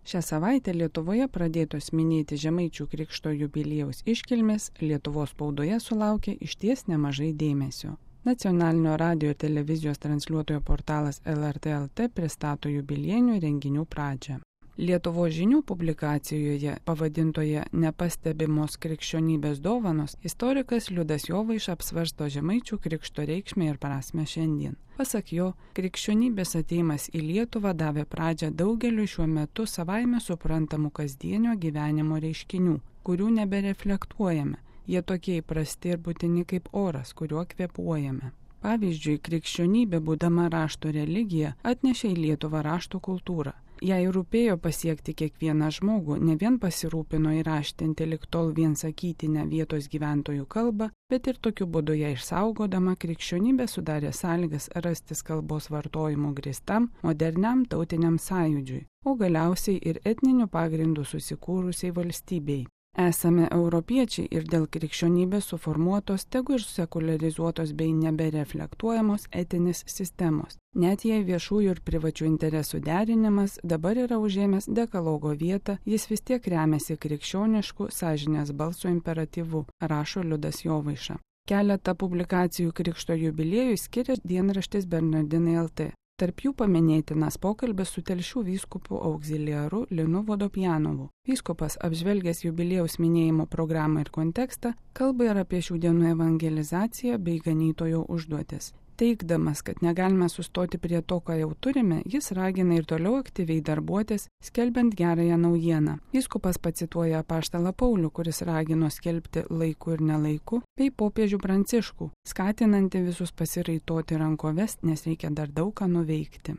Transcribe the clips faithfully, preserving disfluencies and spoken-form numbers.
Šią savaitę Lietuvoje pradėtos minėti Žemaičių Krikšto jubiliejaus iškilmės Lietuvos spaudoje sulaukė išties nemažai dėmesio. Nacionalinio radijo ir televizijos transliuotojo portalas L R T L T pristato jubiliejinių renginių pradžią. Lietuvos žinių publikacijoje pavadintoje Nepastebimos krikščionybės dovanos istorikas Liudas Jovaiša apsvarsto Žemaičių Krikšto reikšmę ir prasmę šiandien. Pasak jo, krikščionybės atėjimas į Lietuvą davė pradžią daugeliu šiuo metu savaime suprantamų kasdienio gyvenimo reiškinių, kurių nebereflektuojame. Jie tokie įprasti ir būtini kaip oras, kuriuo kvėpuojame. Pavyzdžiui, krikščionybė, būdama rašto religija, atnešė į Lietuvą rašto kultūrą. Jei rūpėjo pasiekti kiekvieną žmogų, ne vien pasirūpino įraštinti lig tol vien sakytinę vietos gyventojų kalbą, bet ir tokiu būdu ją išsaugodama krikščionybė sudarė sąlygas rastis kalbos vartojimo grįstam, moderniam tautiniam sąjūdžiui, o galiausiai ir etniniu pagrindu susikūrusiai valstybei. Esame europiečiai ir dėl krikščionybės suformuotos, tegu ir sekularizuotos bei nebereflektuojamos etinės sistemos. Net jei viešųjų ir privačių interesų derinimas dabar yra užėmęs dekalogo vietą, jis vis tiek remiasi krikščionišku sąžinės balso imperatyvu, rašo Liudas Jovaiša. Keletą publikacijų Krikšto jubiliejui skiria dienraštis Bernardinai L T. Tarp jų paminėtinas pokalbis su Telšių vyskupu auxiliaru Linu Vodopjanovu. Vyskupas, apžvelgęs jubiliejaus minėjimo programą ir kontekstą, kalba ir apie šių dienų evangelizaciją bei ganytojo užduotis. Teigdamas, kad negalime sustoti prie to, ką jau turime, jis ragina ir toliau aktyviai darbuotis, skelbiant gerąją naujieną. Vyskupas pacituoja apaštalą Paulių, kuris ragino skelbti laiku ir nelaiku, bei popiežių Pranciškų, skatinanti visus pasiraitoti rankoves, nes reikia dar daug ką nuveikti.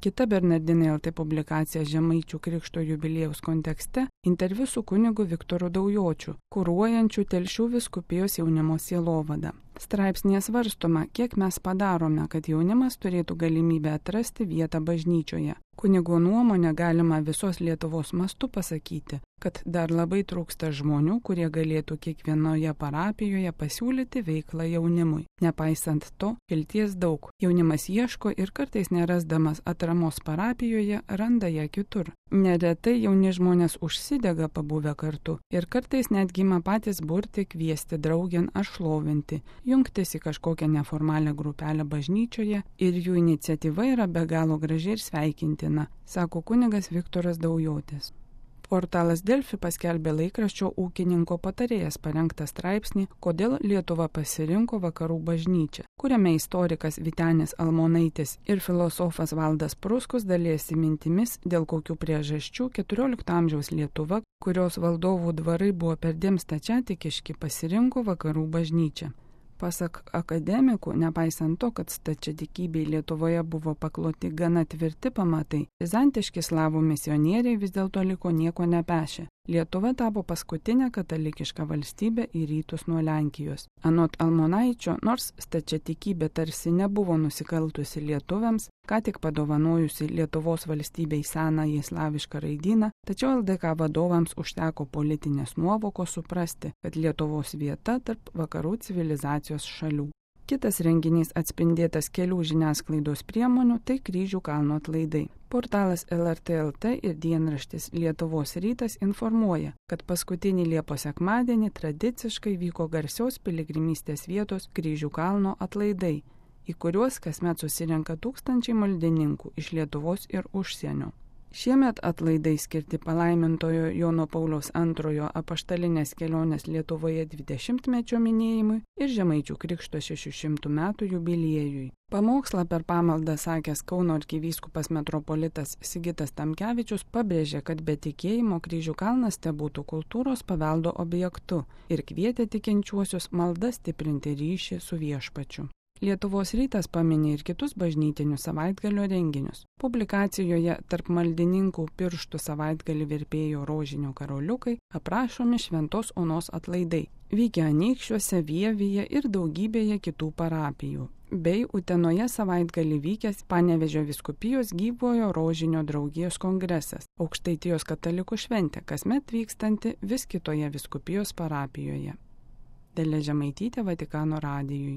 Kita Bernardinai L T publikacija Žemaičių Krikšto jubiliejaus kontekste – interviu su kunigu Viktoru Daujočiu, kuruojančiu Telšių vyskupijos jaunimo sielovadą. Straipsnėje svarstoma, kiek mes padarome, kad jaunimas turėtų galimybę atrasti vietą bažnyčioje. Kunigo nuomonę galima visos Lietuvos mastu pasakyti, kad dar labai trūksta žmonių, kurie galėtų kiekvienoje parapijoje pasiūlyti veiklą jaunimui. Nepaisant to, vilties daug. Jaunimas ieško ir kartais nerasdamas atramos parapijoje randa ją kitur. Neretai jauni žmonės užsidega pabuvę kartu ir kartais netgi ima patys burti, kviesti draugėn ar šlovinti, jungtis į kažkokią neformalią grupelę bažnyčioje ir jų iniciatyva yra be galo graži ir sveikintina, sako kunigas Viktoras Daujotis. Portalas Delfi paskelbė laikraščio ūkininko patarėjas parengtą straipsnį Kodėl Lietuva pasirinko vakarų bažnyčią, kuriame istorikas Vytenis Almonaitis ir filosofas Valdas Pruskus dalijasi mintimis, dėl kokių priežasčių keturiolikto amžiaus Lietuva, kurios valdovų dvarai buvo perdėm stačiatikiški, pasirinko vakarų bažnyčią. Pasak akademikų, nepaisant to, kad stačiatikybei Lietuvoje buvo pakloti gana tvirti pamatai, bizantiški slavų misionieriai vis dėlto liko nieko nepešę. Lietuva tapo paskutinė katalikiška valstybė į rytus nuo Lenkijos. Anot Almonaičio, nors stačiatikybė tarsi nebuvo nusikaltusi lietuviams, ką tik padovanojusi Lietuvos valstybei senąjį slavišką raidyną, tačiau L D K vadovams užteko politinės nuovokos suprasti, kad Lietuvos vieta tarp vakarų civilizacijos šalių. Kitas renginys atspindėtas kelių žiniasklaidos priemonių – tai Kryžių kalno atlaidai. Portalas L R T L T ir dienraštis Lietuvos rytas informuoja, kad paskutinį Liepos sekmadienį tradiciškai vyko garsios piligrimystės vietos Kryžių kalno atlaidai, į kuriuos kasmet susirenka tūkstančiai maldininkų iš Lietuvos ir užsienio. Šiemet atlaidai skirti palaimintojo Jono Pauliaus antrojo apaštalinės kelionės Lietuvoje dvidešimtmečio minėjimui ir Žemaičių Krikšto šešių šimtų metų jubiliejui. Pamokslą per pamaldą sakęs Kauno arkivyskupas metropolitas Sigitas Tamkevičius pabrėžė, kad be tikėjimo Kryžių kalnas tebūtų kultūros paveldo objektu ir kvietė tikinčiuosius malda stiprinti ryšį su viešpačiu. Lietuvos rytas paminė ir kitus bažnytinius savaitgalio renginius. Publikacijoje tarp maldininkų pirštų savaitgalį virpėjo rožinio karoliukai, aprašomi Šventos Onos atlaidai, vykę Anykščiuose, Vievyje ir daugybėje kitų parapijų, bei Utenoje savaitgalį vykęs Panevėžio vyskupijos gyvojo rožinio draugijos kongresas, Aukštaitijos katalikų šventė, kasmet vykstanti vis kitoje vyskupijos parapijoje. Dalia Žemaitytė, Vatikano radijui.